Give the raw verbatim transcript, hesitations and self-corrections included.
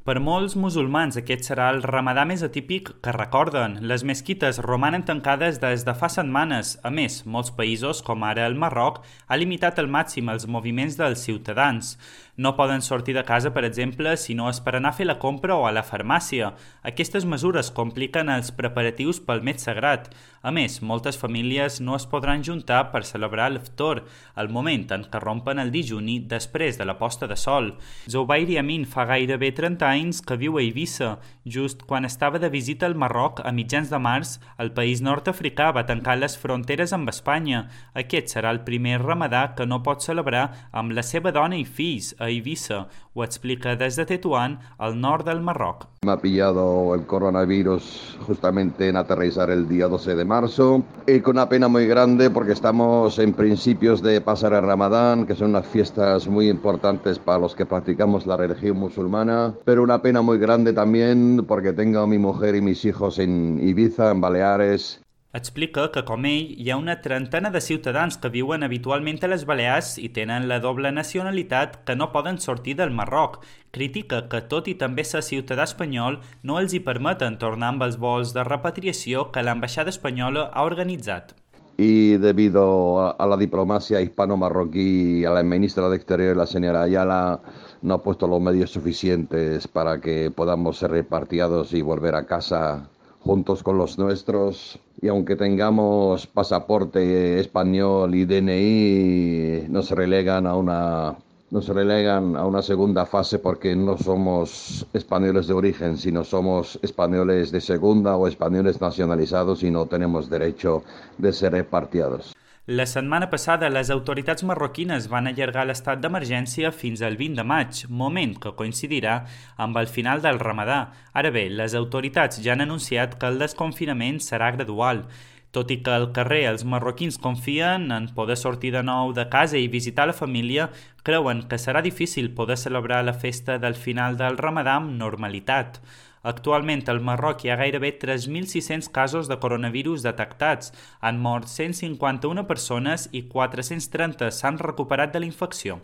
Per molts musulmans aquest serà el ramadà més atípic que recorden. Les mesquites romanen tancades des de fa setmanes. A més, molts països, com ara el Marroc, ha limitat al màxim els moviments dels ciutadans. No poden sortir de casa, per exemple, si no és per anar a fer la compra o a la farmàcia. Aquestes mesures compliquen els preparatius pel mes sagrat. A més, moltes famílies no es podran juntar per celebrar l'Iftar, el moment en què rompen el dijuni després de la posta de sol. Zubair Yamin fa gairebé trenta anys que viu a Eivissa. Just quan estava de visita al Marroc a mitjans de març, el país nord-africà va tancar les fronteres amb Espanya. Aquest serà el primer ramadà que no pot celebrar amb la seva dona i fills a Eivissa. Ho explica des de Tetuán, al nord del Marroc. Me ha pillado el coronavirus justamente en aterrizar el día doce de marzo y con una pena muy grande porque estamos en principios de pasar el Ramadán, que son unas fiestas muy importantes para los que practicamos la religión musulmana, pero una pena muy grande también porque tengo a mi mujer y mis hijos en Ibiza, en Baleares. Explica que, com ell, hi ha una trentena de ciutadans que viuen habitualment a les Balears i tenen la doble nacionalitat que no poden sortir del Marroc. Critica que, tot i també ser ciutadà espanyol, no els hi permeten tornar amb els vols de repatriació que l'ambaixada espanyola ha organitzat. Y debido a, a la diplomacia hispano-marroquí y a la ministra de Exteriores, la señora Ayala, no ha puesto los medios suficientes para que podamos ser repatriados y volver a casa juntos con los nuestros, y aunque tengamos pasaporte español y D N I, nos relegan a una nos relegan a una segunda fase porque no somos españoles de origen, sino somos españoles de segunda o españoles nacionalizados y no tenemos derecho de ser repatriados. La setmana passada, les autoritats marroquines van allargar l'estat d'emergència fins al vint de maig, moment que coincidirà amb el final del ramadà. Ara bé, les autoritats ja han anunciat que el desconfinament serà gradual. Tot i que al carrer els marroquins confien en poder sortir de nou de casa i visitar la família, creuen que serà difícil poder celebrar la festa del final del ramadà amb normalitat. Actualment al Marroc hi ha gairebé tres mil sis-cents casos de coronavirus detectats. Han mort cent cinquanta-una persones i quatre-cents trenta s'han recuperat de la infecció.